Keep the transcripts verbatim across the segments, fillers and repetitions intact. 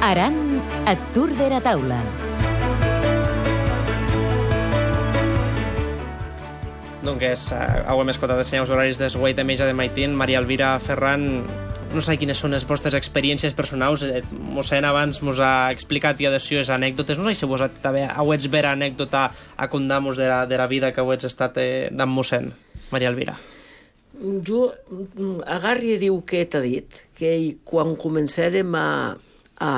Aran et tour dera taula. Doncs hem escoltat els senyors horaris de Guaita Meja de Maitín. Maria Elvira Ferran, no sé quines són les vostres experiències personals. Mossèn abans mos ha explicat i adhesió les anècdotes. No sé si vos també hauets vera anècdota a condamos de la, de la vida que hauets estat eh, d'en mossèn. Maria Elvira. Jo agarri i diu que t'ha dit, que quan començarem a, a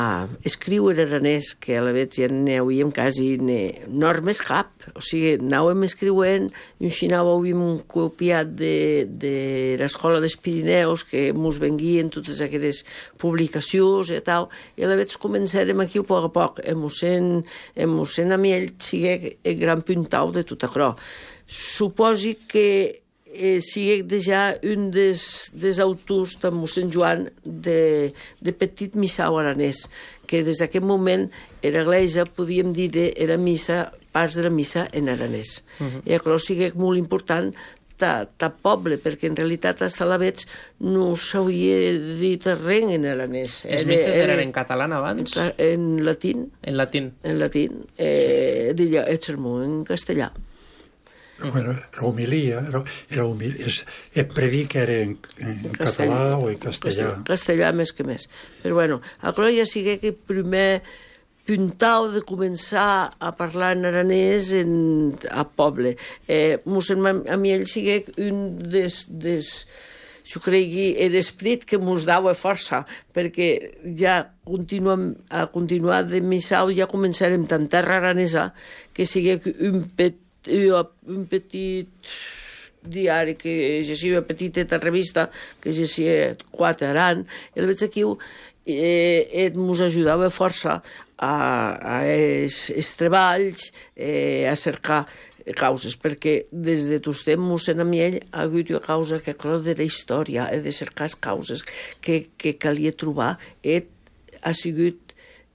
escriure aranès, que a la vegada ja n'hauríem quasi normes cap, o sigui, anàvem escrivent, i un xinau havíem copiat de, de l'escola dels Pirineus, que mos venguien totes aquestes publicacions i tal, i a la vegada començarem aquí a poc a poc. El mossèn, el mossèn Amiell sigue el gran puntau de tot això. Suposi que Eh, sigui ja un dels, dels autors de mossèn Joan de, de petit missau aranès, que des d'aquest moment era l'església, podíem dir, de, era missa, parts de la missa en aranès. Uh-huh. I això sigui molt important ta, ta poble, perquè en realitat als Talavets no s'hauria dit res en aranès. Les misses era, eren en català abans? En, en latín. En latín. En latín. Eh, deia el sermó en castellà. Bueno, la homilia, era, era humil, és, és predir que era en, en català o en castellà. Castellà més que més. Però bueno, això ja sigui que primer puntau de començar a parlar en aranès en, a poble. Eh, mossèn Amiell sigui un des... des jo crec que l'esprit que mos dava força, perquè ja continuem, a continuar de missau ja començarem tant terra aranesa que sigui un petit un petit diari que llegia, una petita revista que llegia quatre Aran, i el veig aquí eh, mos ajudava força a, a es, es treballs, eh, a cercar causes, perquè des de tots temps mossèn Amiell ha hagut una causa que creu de la història, he de cercar les causes que, que calia trobar, i ha sigut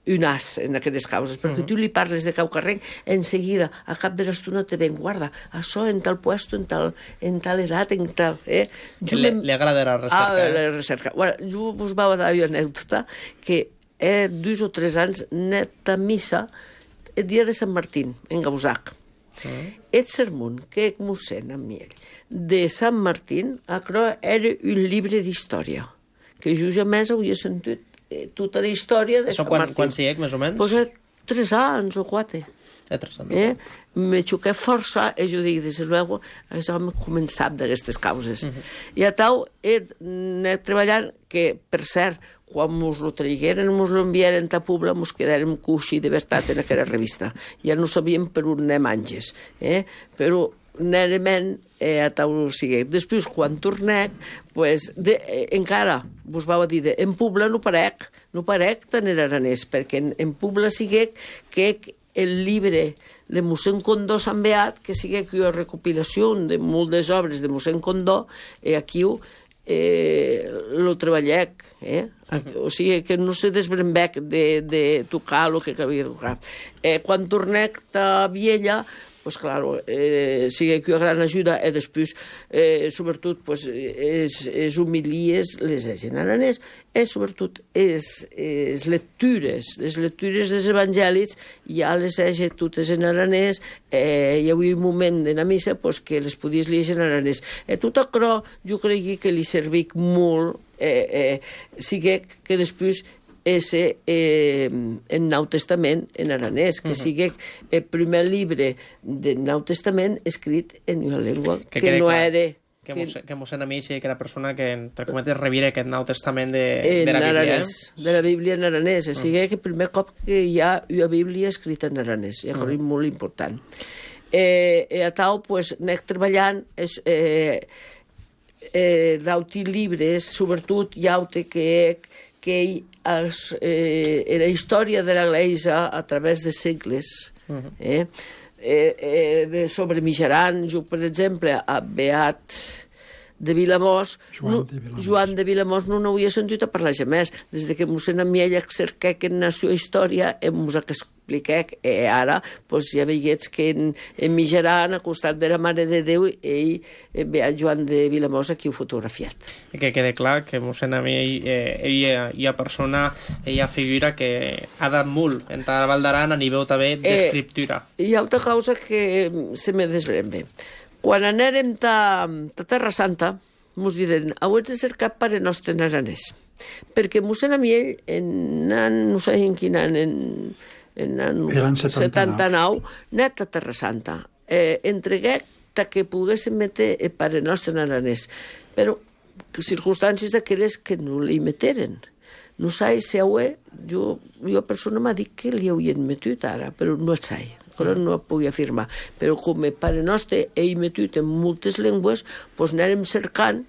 un as en aquestes causes, perquè uh-huh. tu li parles de cau carrer, en seguida, a cap de l'estona te ven, guarda, això en tal puesto, en tal, en tal edat, en tal... Eh? Le, li agrada la recerca. Ah, la recerca. Bueno, jo us va dar una anècdota que eh, dos o tres anys net a missa el dia de Sant Martín, en Gausac. Uh-huh. El sermón que mossèn Amiell de Sant Martín, això era un llibre d'història, que jo jamais havia sentit tota la història de Això Sant quan, Martín. Quan sigui, més o menys? Pues eh, tres anys o quatre. Eh, tres anys. Eh? Me xoqué força, i jo dic, des de luego, això m'ha començat d'aquestes causes. Uh-huh. I a tal, he anat treballant, que, per cert, quan mos lo traigueren, mos lo enviaren a Pobla, mos quedàrem coixí de veritat en aquella revista. Ja no sabíem per on anem anges. Eh? Però nerement eh, a tal sigui. Després, quan tornec, pues, de, eh, encara vos vau dir, de, en Pobla no parec, no parec tant en aranès, perquè en, en Pobla sigui que el llibre de mossèn Condó Sant Beat, que sigui que una recopilació de moltes obres de mossèn Condó, i aquí eh, lo treballec, eh? O sigui que no se desbrembec de, de tocar el que havia de tocar. Eh, quan tornec a Viella, pues claro, eh, sigue que una gran ajuda, i després, eh, sobretot, pues, es, es humilies les en aranès, i sobretot es, es lectures, les lectures dels evangèlics, ja les hagi totes en aranès, eh, hi havia un moment de la missa pues, que les podies llegir en aranès. I tot això jo crec que li servic molt, eh, eh, sigue que després és eh, el Nou Testament en aranès, que uh-huh. sigui el primer llibre del Nou Testament escrit en una llengua que, que no era... Que, que, que mossèn Amiell sigui que era persona que, entre cometes, rebira aquest Nou Testament de, de la Bíblia. Aranès, eh? De la Bíblia en aranès. Uh-huh. Sigui que el primer cop que hi ha una Bíblia escrita en aranès. I això uh-huh. és molt important. Eh, a tal, pues, anem treballant... És, eh, eh, d'auti llibres, sobretot hi ha que... que es, eh, la història de l'Església a través de segles, uh-huh. eh? Eh, eh, de, sobre Mijaran, jo, per exemple, a Beat de Vilamós, Joan de Vilamós, no, Joan de Vilamós no n'havia sentit a parlar jamais. Des que mossèn Amiell cerca que nació història, mos ha expliquec, e ara pues, ja veiets que en, en Mijaran, al costat de la Mare de Déu, ell ve a Joan de Vilamosa qui ho fotografiat. I que quede clar que mossèn Amiell, eh, ella hi ha persona, ella figura que ha dat molt en la Val d'Aran a nivell també d'escriptura. Eh, hi ha altra causa que se me desbrem bé. Quan anèrem a Terra Santa, mos diren, heu de cercar Pare Nostre en aranès. Perquè mossèn Amiell, en an, no sé en quin any, en, en an setanta-nou, net a Terra Santa, eh, entregué que poguéssim metre el Pare Nostre en aranès. Però circumstàncies d'aquelles que no li meteren. No sé si ho és, jo, jo persona m'ha dit que li haurien metut ara, però no el sé. No ho puc afirmar, però com el Pare Nostre ell metut en moltes llengües, doncs anàrem cercant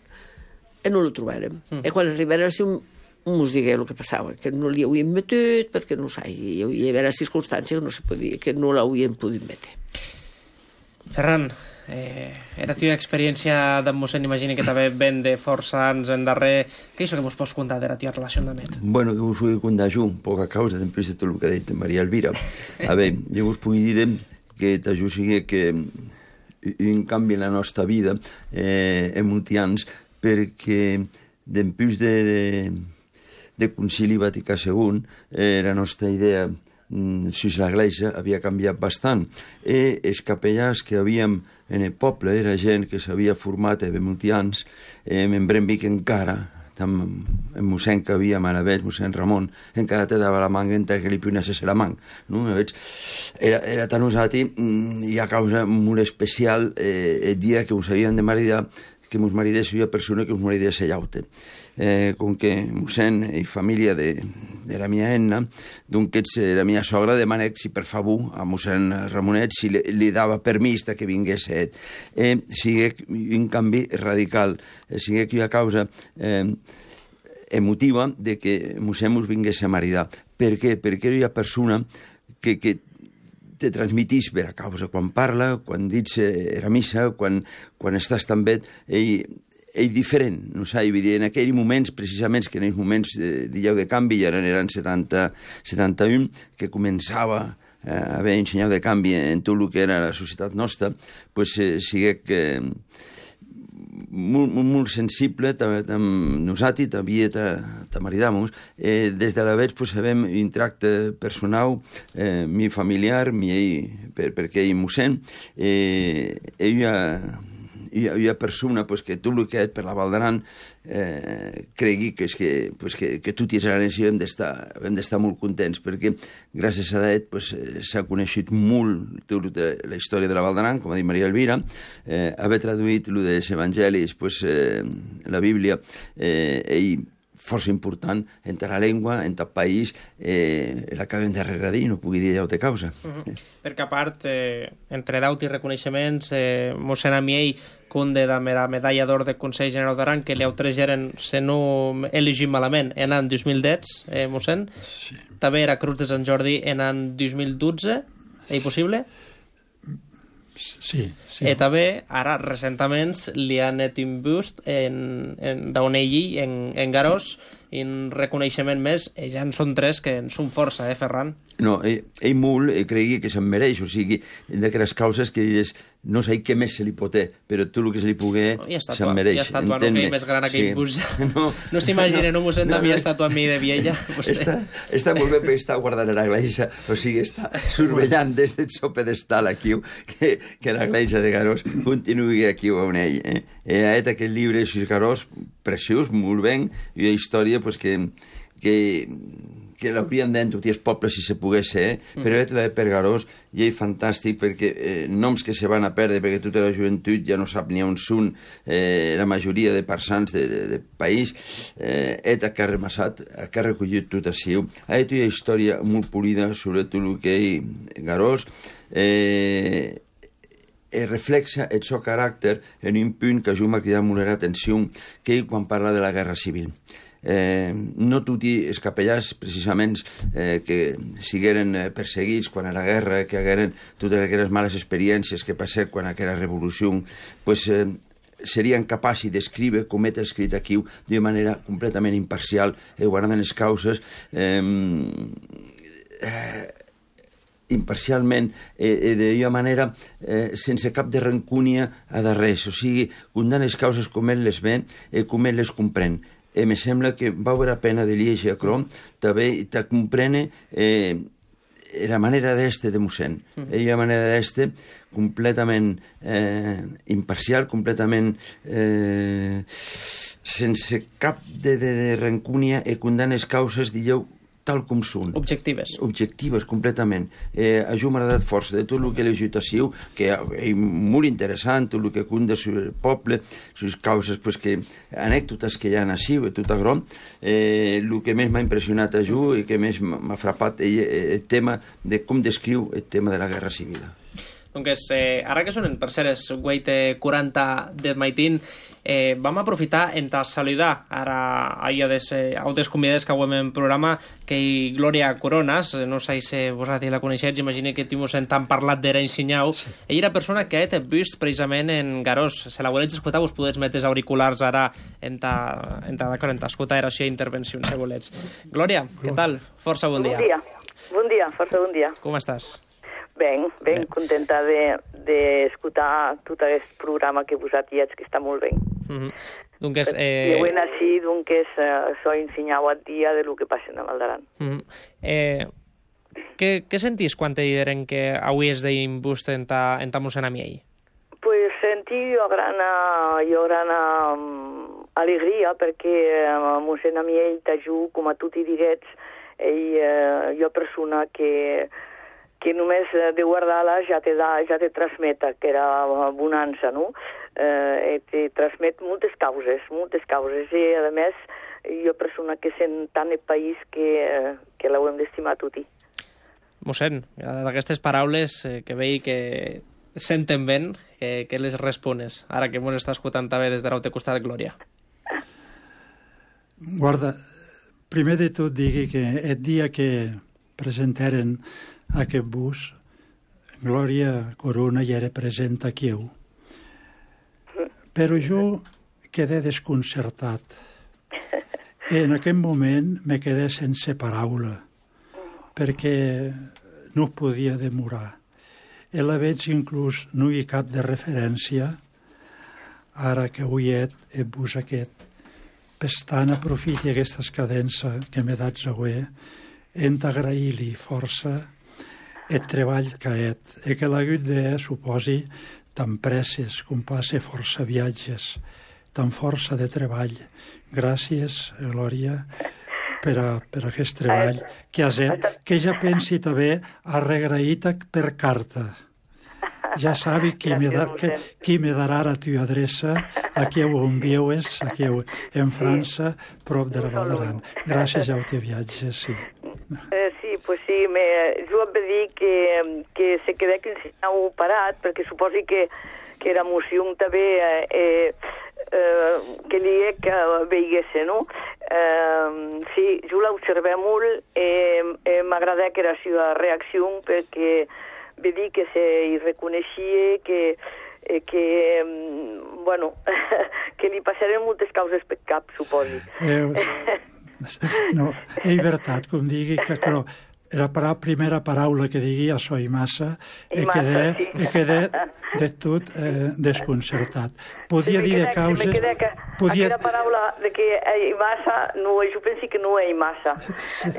i no el trobàrem. Mm. I quan arribàrem així, mos digué el que passava, que no li havíem metut, perquè no ho sé, hi havia circumstàncies que no, se podia, que no l'havíem pogut metre. Ferran, eh, era teva experiència d'en mossèn, imagini que també ven de força anys en darrer. Què és això que mos pots contar de la teva relacionament? Bueno, que vos puc contar jo, poca causa, després de tot el que ha dit Maria Elvira. A veure, jo vos puc dir que jo sigui que un canvi en la nostra vida eh, en multians, perquè després de, de, de Concili Vaticà segon, eh, la nostra idea si l'Església havia canviat bastant. I els capellans que havíem en el poble era gent que s'havia format de molts anys, eh, me'n brem que encara, en mossèn que havia a la vez, mossèn Ramon, encara te dava la manga entre que li punasses la manga. No? Era, era tan usat i a causa molt especial eh, el dia que us havien de maridar, que mos maridés una persona que us maridés a llaute. Eh, com que mossèn i família de, de la mia enna, doncs la mia sogra demanà si per favor a mossèn Ramonet si li, li dava permís que vingués et. Eh, sigui un canvi radical, eh, sigui que hi ha causa eh, emotiva de que mossèn mos vingués a maridar. Per què? Perquè hi ha persona que, que te transmitís per a causa. Quan parla, quan dius era missa, quan, quan estàs tan bé, ell, ell diferent, no sé, en aquells moments, precisament, que en aquells moments de, de lleu de canvi, ja eren setanta, setanta-un, que començava a haver un senyal de canvi en tot el que era la societat nostra, doncs eh, sigui que molt, molt, molt sensible, amb nosaltres també te maridamos. Eh, des de la vez pues, sabem un tracte personal, eh, mi familiar, mi ell, per, perquè ell mossèn, eh, ella, hi ha, hi ha persona pues, que tot el que és per la Val d'Aran eh, cregui que, és que, pues, que, que tot i els aranès hem d'estar molt contents, perquè gràcies a Daet pues, s'ha coneixut molt tota la història de la Val d'Aran, com ha dit Maria Elvira, eh, haver traduït el dels evangelis, pues, eh, la Bíblia, eh, ell força important en la llengua, en el país, eh, l'acabem de regradir, no pugui dir allò de causa. Uh -huh. Perquè a part, eh, entre daut i reconeixements, eh, mossèn Amiell, conde de la medalla d'or del Consell General d'Aran, que li autorregeren, si no elegim malament, en l'any dos mil deu, eh, mossèn. Sí. També era Cruz de Sant Jordi en l'any dos mil dotze, és possible? Sí, sí. I també, ara, recentament, li han net un bust en, en, d'on ell, en, en Garós, un reconeixement més, i ja en són tres que en són força, eh, Ferran? No, ell, ell molt eh, cregui que se'n mereix, o sigui, d'aquelles causes que dius, no sé què més se li pot fer, però tot el que se li pugui no, se'n mereix. I estatua, no, que ell més gran aquell sí. bus. No, no s'imagina, no, no mossèn no, també no, estatua a mi de viella. Està, està molt bé perquè està guardant a l'església, o sigui, està surveillant des del seu pedestal aquí, que, que l'església de Garós continuï aquí on ell. Eh? I ha fet aquest llibre, Sis Garós, preciós, molt ben, i una història pues, que, que, que l'haurien d'entrar els pobles si se pogués ser, eh? mm. però és per Garós i és fantàstic perquè eh, noms que se van a perdre perquè tota la joventut ja no sap ni on són, eh, la majoria de persans de, de, de país, eh, és que ha remassat, que ha recollit tot així. Ha fet una història molt polida sobre tot el que és Garós, eh, reflexa el seu caràcter en un punt que jo m'ha cridat molt l'atenció, que ell quan parla de la guerra civil. Eh, no tots els capellans, precisament, eh, que sigueren perseguits quan a la guerra, que hagueren totes aquelles males experiències que passaven quan aquella revolució, pues, eh, serien capaços d'escriure, com he escrit aquí, d'una manera completament imparcial, eh, guardant les causes, eh, eh, imparcialment, eh, d'una manera eh, sense cap de rancúnia a de res. O sigui, condant les causes com ell les ve i com ell les comprèn. E me sembla que vale la pena de llegir a Crom, també te comprene eh, la manera d'este de mossèn. Mm -hmm. La manera d'este completament eh, imparcial, completament eh, sense cap de, de, de rancúnia i condant les causes, digueu, tal com són. Objectives. Objectives, completament. Eh, a jo m'ha agradat força de tot el que l'agitació, que és molt interessant, tot el que conta sobre el poble, les causes, pues, que, anècdotes que hi ha així, tot agrom. Eh, el que més m'ha impressionat a jo i que més m'ha frapat és el tema de com descriu el tema de la guerra civil. Doncs eh, ara que sonen, per cert, és guaite quaranta d'Ed Maitín, eh, vam aprofitar en ta saludar ara a des, eh, altres convidades que avui en programa, que hi Glòria Coronas, no sé si vosaltres la coneixets, imagino que t'hi en tant parlat d'era ensenyau. Sí. Ella era persona que he vist precisament en Garós. Se la volets escoltar, vos podets metre auriculars ara en ta, en ta, en ta escoltar era així intervenció, si volets. Glòria, què tal? Força bon dia. Bon dia, bon dia, força bon dia. Com estàs? Ben, ben, ben. Contenta d'escoltar de, tot aquest programa que vosaltres que està molt bé. Mm-hmm. Donc, eh... I avui així, doncs, eh, soy ensenyau al dia de lo que passa a Maldaran. Mm-hmm. eh, què, què sentís quan te diren que avui és d'imbust en ta, en ta mossèn Amiell? Pues sentí jo grana, jo grana um, alegria, perquè uh, mossèn Amiell t'ajuda, com a tu t'hi diguets, ell, uh, jo persona que... que només de guardar-la ja te, da, ja te transmeta, que era bonança, no? Eh, te transmet moltes causes, moltes causes, i a més, jo persona que sent tant el país que, que l'hauem d'estimar tutti. Mossèn, d'aquestes paraules eh, que veig que senten ben, que, que les respones, ara que mos està escoltant també des de l'altre costat, Glòria. Guarda, primer de tot digui que el dia que presentaren aquest bus, Glòria Corona ja era present aquí. Però jo quedé desconcertat. En aquest moment me quedé sense paraula, perquè no podia demorar. I la veig inclús no hi ha cap de referència, ara que avui he el bus aquest. Pestant aprofiti aquesta cadença que m'he dat avui, hem d'agrair-li força el treball que ha fet, i que l'hagut de, suposi, tan presses com passe força viatges, tan força de treball. Gràcies, Glòria, per, a, per a aquest treball que has fet, que ja pensi també a regraït per carta. Ja sabi qui me, da, que, qui me darà la teva adreça, aquí ho envieues, aquí ho, en França, prop de la Val d'Aran. Gràcies a te viatge, sí. Eh, sí, pues sí, me, jo em va dir que, que se quedé que ensenyau parat, perquè suposi que, que era moció també eh, eh, eh, que li he que veiguesse, no? Eh, sí, jo l'observé molt, eh, eh, m'agradà que era la seva reacció, perquè va dir que se hi reconeixia, que, eh, que bueno, que li passaren moltes causes per cap, suposi. Eh, no, és veritat, com digui, que però era la primera paraula que digui a Soi Massa i quedé, sí. i quedé de tot eh, desconcertat. Podia sí, dir de causes... Me que podia... Aquella paraula de que hi massa, no, jo penso que no hi massa.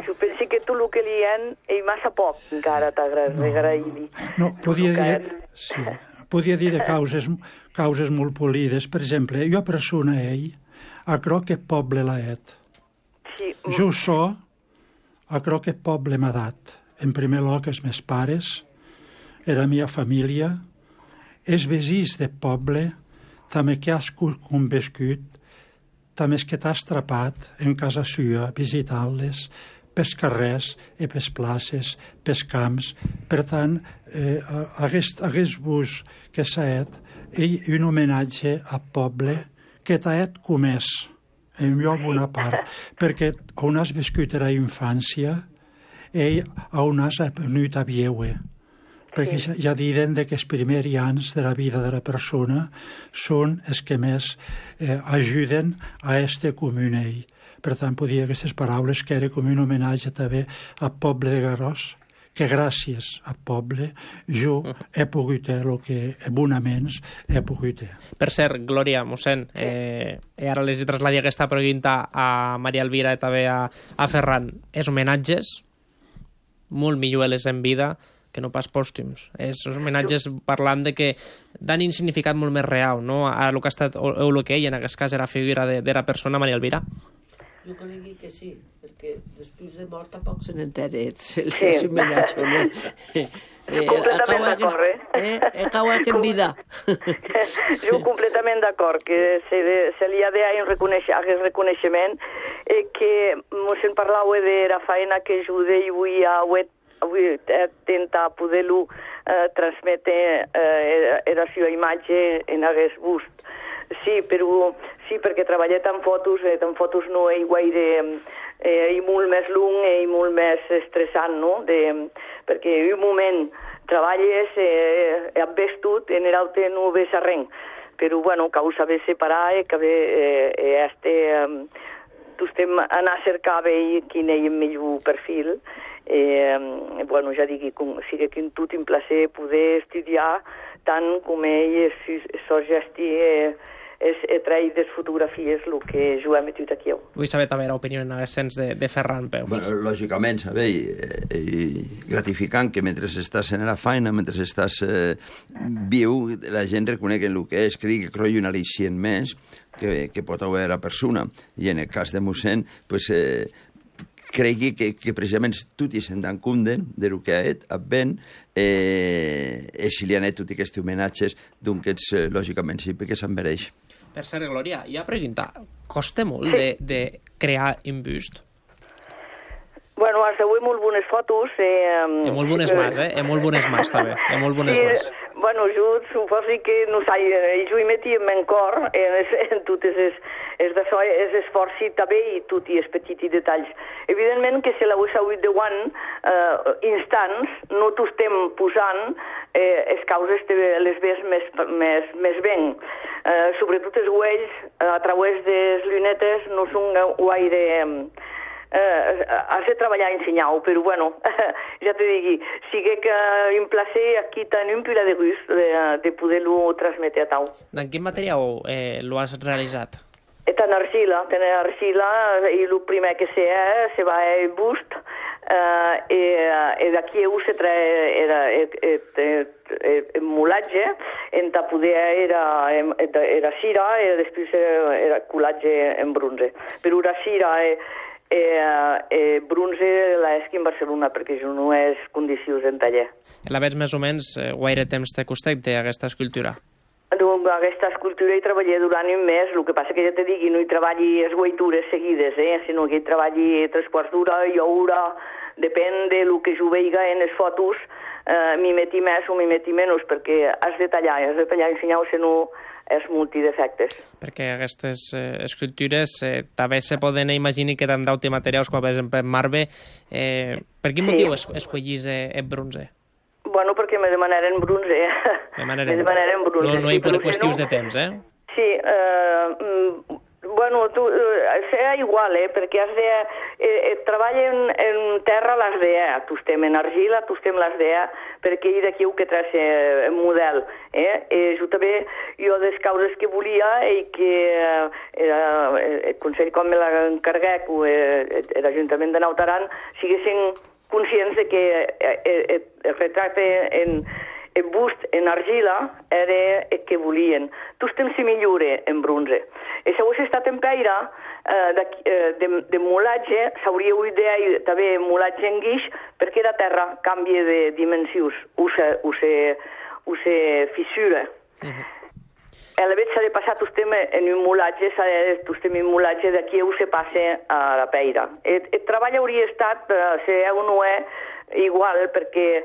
Jo penso que tu el que li hi hi massa poc, encara t'agraï-li. No, no, podia dir... Sí, podia dir de causes, causes molt polides. Per exemple, jo persona ell, a cro que poble l'ha et. Sí. Jo so, a cro que poble m'ha dat. En primer lloc, els meus pares, era meva família, els vesins de poble, també que has conviscut, també que t'has atrapat en casa sua, visitant-les, pels carrers i pels places, pels camps. Per tant, eh, aquest, aquest bus que s'ha fet és un homenatge al poble que t'ha fet comès, en lloc una part, perquè on has viscut a la infància i on has venut a viure. Perquè ja, ja diuen que els primers anys de la vida de la persona són els que més eh, ajuden a este comunell. Per tant, podia aquestes paraules que era com un homenatge també al poble de Garós, que gràcies al poble jo he pogut el que abonaments he pogut. Per cert, Glòria, mossèn, eh, ara les he traslladat aquesta pregunta a Maria Elvira i també a, a Ferran. És homenatges molt millor les en vida que no pas pòstums. És homenatges parlant de que dan un significat molt més real, no? A el que ha estat, o el que ell, en aquest cas, era figura de, de la persona Maria Elvira. Jo crec que sí, perquè després de mort tampoc se n'entera si és homenatge o no. Completament d'acord, eh? Acaba que en vida. Jo completament d'acord, que se, se li ha de aquest reconeixement, eh, que mossèn parlava de la feina que ajuda i avui a avui tenta poder-lo eh, transmetre eh, la seva imatge en aquest bust. Sí, però sí, perquè treballar en fotos, eh, en fotos no és gaire, eh, i molt més long i molt més estressant, no? De, perquè en un moment treballes, eh, has vestut, en l'altre no ves a res. Però, bueno, que ho sabés separar, eh, que eh, eh, este, eh, tu estem anar a cercar bé quin és el millor perfil. Eh, bueno, ja digui, com, sigui que tot un placer poder estudiar tant com ell so gesti eh, és trair les fotografies el que jo he metut aquí. Vull saber també l'opinió en aquest sens de, de Ferran Peus. Bueno, lògicament, sabeu, eh, gratificant que mentre estàs en la feina, mentre estàs eh, viu, la gent reconeix el que és, crec que croi un al·licient més que, que pot haver la persona. I en el cas de mossèn, pues, eh, cregui que, que precisament tutti se'n dan compte de lo que ha fet, ben, eh, e si li han fet tots aquests homenatges, doncs, eh, lògicament sí, perquè se'n mereix. Per cert, Glòria, hi ha pregunta, costa molt de, de crear un bust? Bueno, has de veure molt bones fotos. Eh, hi ha molt bones sí, mas, eh? Hi ha molt bones mas, també. Hi ha molt bones sí, mas. Bueno, jo suposo que no sé, jo hi meti en mon cor en, en totes les és d'això, és esforci també i tot i els petits detalls. Evidentment que si la ho sabut de guant eh, instants, no t'ho estem posant eh, les causes te les ves més, més, més ben. Eh, sobretot els uells, a través de les llunetes, no són gaire... Eh, has de treballar ensenyar-ho, però bueno, ja te digui, sigui que un placer aquí tenim un pila de gust de, de poder-lo transmetre a tau. En quin material eh, lo has realitzat? En argila, en argila, i el primer que se és, se va el bust, eh, i, i d'aquí se trae el molatge, en ta poder era, era cira, i després era colatge en bronze. Però la cira i eh, bronze la esqui en Barcelona, perquè jo no és condicions en taller. La veig més o menys eh, gaire temps te costat d'aquesta escultura? Doncs aquesta escultura hi treballé durant un mes, el que passa que ja te digui, no hi treballi les guaitures seguides, eh? sinó que hi treballi tres quarts d'hora i hora, depèn de lo que jo veiga en les fotos, eh, m'hi meti més o m'hi meti menys, perquè has de tallar, has de tallar ensenyar, si no és multidefectes. Perquè aquestes eh, escultures eh, també se poden imaginar que t'han d'auti materials, com per exemple marbre. Eh, per quin motiu sí. es, escollís eh, el bronze? Bueno, perquè me demanaren bronze. Demanaren... me demanaren bronze. No, no hi per qüestions de temps, eh? Sí, eh, bueno, tu, eh, serà igual, eh, perquè has de... Eh, eh, treballa en, en terra l'has de... Tu estem en argila, tu estem l'has de... perquè hi d'aquí ho que traç el model. Eh? Eh, jo també, jo des causes que volia i que eh, el Consell com me l'encarguec o eh, l'Ajuntament de Naut Aran siguessin conscients de que eh, el retracte en el bust en argila era el que volien. Tu estem si millore en bronze. I si hagués estat en peira, eh, de, de, de molatge, s'hauria ideat també molatge en guix, perquè la terra canvia de dimensions, o se, o se, o se fissura. Uh -huh. A la vegada s'ha de passar tu estem en un molatge, s'ha de tu estem en un molatge d'aquí ho se passa a la peira. El, el treball hauria estat, eh, si heu no és, igual, perquè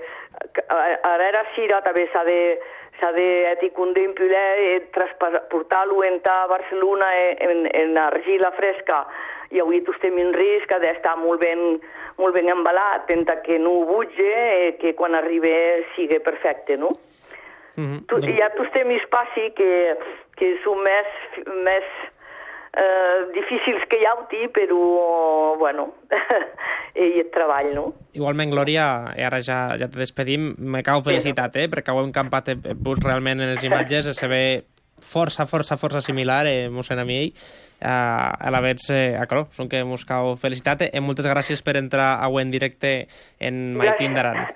ara era cira també s'ha de s'ha d'eticondir i transportar-lo en a Barcelona en, en argila fresca i avui tu estem en risc d'estar molt ben, molt ben embalat, tenta que no butge i que quan arribi sigui perfecte, no? Mm-hmm. Tu, ja tu estem en espaci que, que són més, més eh, difícils que hi hauti, però, bueno, i el treball, no? Igualment, Glòria, i ara ja, ja te despedim, me cau felicitat, eh, perquè ho hem campat vos realment en les imatges, se ve força, força, força similar, eh, mossèn Amiell, eh, a la vez, eh, acolo, són que mos cau felicitat, eh, moltes gràcies per entrar avui en directe en Maitín d'Aran.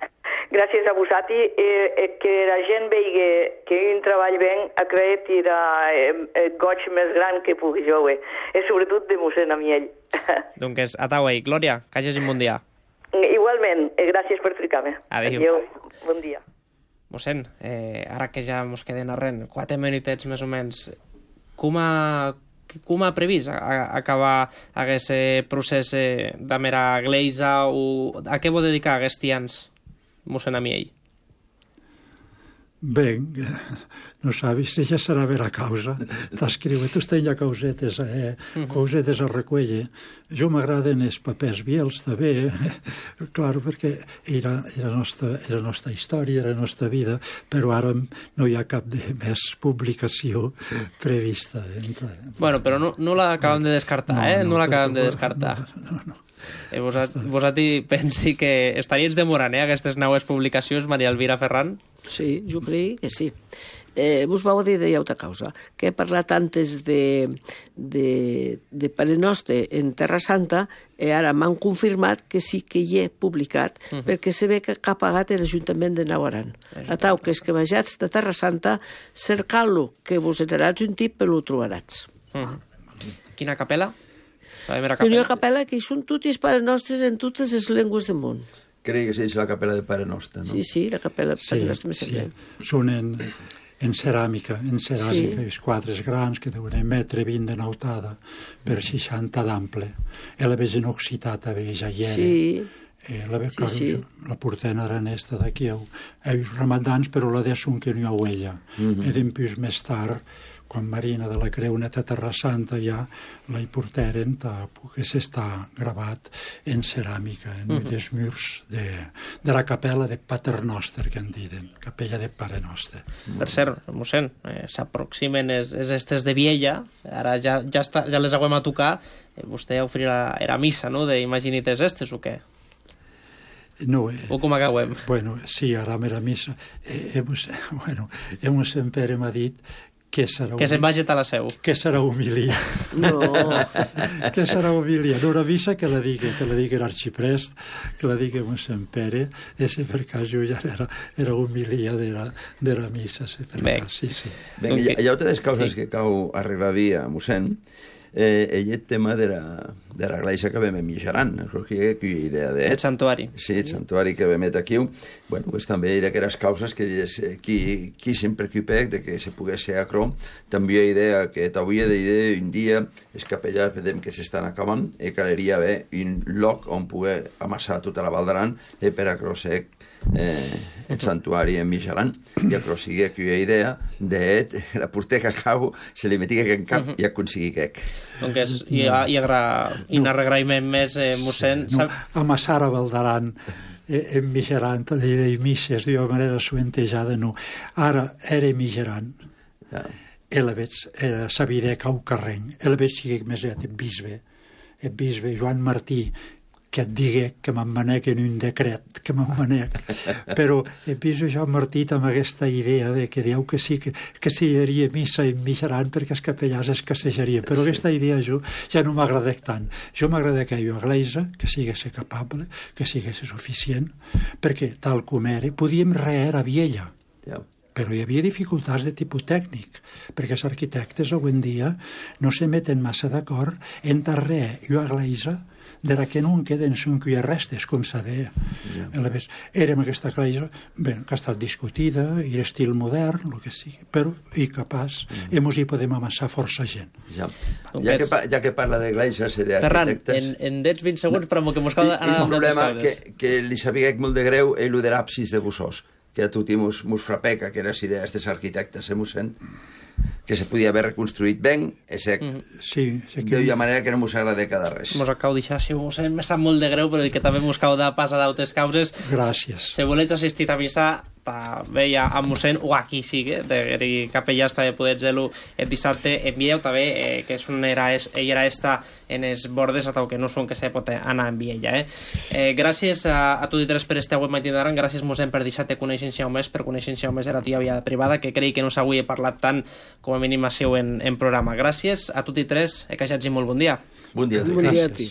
Gràcies a vosaltres, eh, eh, que la gent vegi que un treball ben ha creat i el eh, goig més gran que pugui jo, eh, i sobretot de mossèn Amiell. Doncs atau, eh, Glòria, que hagis un bon dia. Igualment, eh, gràcies per trucar-me. Adéu. Adéu, bon dia. Mossèn, eh, ara que ja mos queden arren, quatre minutets més o menys, com ha, com ha previst a, a, acabar aquest procés eh, de mera gleisa o a què vol dedicar aquests tians, mossèn Amiell? Ben, non sabis, ja serà vera causa. T'escriu, tu tens causetes, eh, causetes a recueller. Jo m'agraden els papers viels, també, clar, perquè era, era, nostra, era nostra història, era nostra vida, però ara no hi ha cap de més publicació prevista. Bueno, però no, no l'acabem de descartar, eh? No, no l'acabem de descartar. No, no. Eh, vosaltres pensi que estaries demorant, eh, aquestes noves publicacions, Maria Elvira Ferran? Sí, jo crec que sí. Eh, vos vau dir de llauta causa, que he parlat antes de, de, de Pare Nostre en Terra Santa, i ara m'han confirmat que sí que hi he publicat, uh -huh. perquè se ve que ha pagat l'Ajuntament de Nauaran. Atau, que és que vejats de Terra Santa, cercant-lo, que vos enaràs un tip, però ho trobaràs. Uh -huh. Quina capella? Una capella que són tots Pares Nostres en totes les llengües del món. Crec que és la capella de Pare Nostre, no? Sí, sí, la capella de Pare Nostre. Sí, sí. Són en, en ceràmica, en ceràmica, sí. Els quadres grans que deuen un metre vint de nautada per seixanta d'ample. I la veig en occità, també, ja hi era. Sí. Eh, la, sí, clar, sí. La portena aranesta d'aquí, els ramadans, però la de són que no hi ha huella. Mm -hmm. I després més tard, quan Marina de la Creu neta Terra Santa ja la hi portaren, que s'està gravat en ceràmica, en uh -huh. els murs de, de la capella de Pater Noster, que en diuen, capella de Pare Nostre. Per cert, mossèn, eh, s'aproximen les estes de Viella, ara ja, ja, està, ja les haguem a tocar, eh, vostè oferirà, era missa, no?, d'imaginites estes o què? No, eh, o com acabem? Bueno, sí, ara era missa. Eh, hemos, bueno, hemos sempre m'ha dit que serà... Que se'n vagi a la seu. Que serà humilia. No. Que serà humilia. No, una missa que la digui, que la digui l'arxiprest, que la digui mossèn Pere, i si per cas jo ja era, era humilia de la, de la missa. Si per cas, sí, sí. Ben, okay. Hi ha altres causes sí. que cau arreglaria, mossèn. Eh, ell el tema de la, de la iglesia que vam mitjaran, crec que hi ha idea de... El santuari. Sí, el santuari que vam aquí. Bueno, pues també hi ha aquelles causes que qui, qui sempre ocupec de que se pogués ser acrò. També hi ha idea que t'avui d'idea un dia els capellars vedem que s'estan acabant i caleria haver un lloc on poder amassar tota la Val d'Aran i per acrò ser eh, el santuari en mitjaran. I acrò sigui que hi ha idea de la porter que acabo se li meti en cap i aconseguir quec. Donc hi ha, hi ha un arregraïment més, eh, mossèn... No, amassar a Val d'Aran eh, en mitjaran, de misses d'una manera suentejada, no. Ara era mitjaran. Ja. I la veig, era sabidec au carreny. I la veig sigui més aviat el bisbe, el bisbe Joan Martí, que et digui que me'n manec en un decret, que me'n manec. Però el bisbe Joan Martí amb aquesta idea de que dieu que sí, que, que sí hi hauria missa en mitjaran perquè els capellars escassejarien. Però sí. Aquesta idea jo ja no m'agradec tant. Jo m'agradec a jo a Gleisa, que sigués capable, que sigués suficient, perquè tal com era, podíem reer a Viella. Ja. Però hi havia dificultats de tipus tècnic, perquè els arquitectes avui en dia no se meten massa d'acord entre res i a Gleisa, de la que no en queden són que hi ha restes, com s'ha de... Yeah. Érem aquesta Gleisa, bé, que ha estat discutida, i estil modern, el que sigui, però i capaç, mm. i mos hi podem amassar força gent. Ja, ja, que, ja que parla de Gleisas i d'arquitectes... Ferran, en, en dets vint segons, però que mos cal anar amb les coses. Que, que li sabia molt de greu és el de l'absis de Bussós, que a tutti mos, mos frapeca, que les idees dels arquitectes, eh, mossèn? Que se podia haver reconstruït ben, és sec. Mm. Sí, sí que... D'una manera que no mos agrada cada res. Mos acabo d'això, si mossèn, me sap molt de greu, però que també mos cau de pas a d'altres causes. Gràcies. Si voleu assistir a missa, veia a mossèn o aquí sigue, de capellà està de poder gelo el dissabte envieu també eh, que és una era, es, era esta en els bordes atau que no són que se pot anar en viella eh. Eh, gràcies a, a tots i tres per estar avui matí d'ara, gràcies mossèn per deixar-te conèixer més, per conèixer més era la teva vida privada, que crec que no s'avui he parlat tant com a mínim a seu en, en programa. Gràcies a tots i tres, eh, que hagi molt bon dia. Bon dia a tu. Bon dia a ti.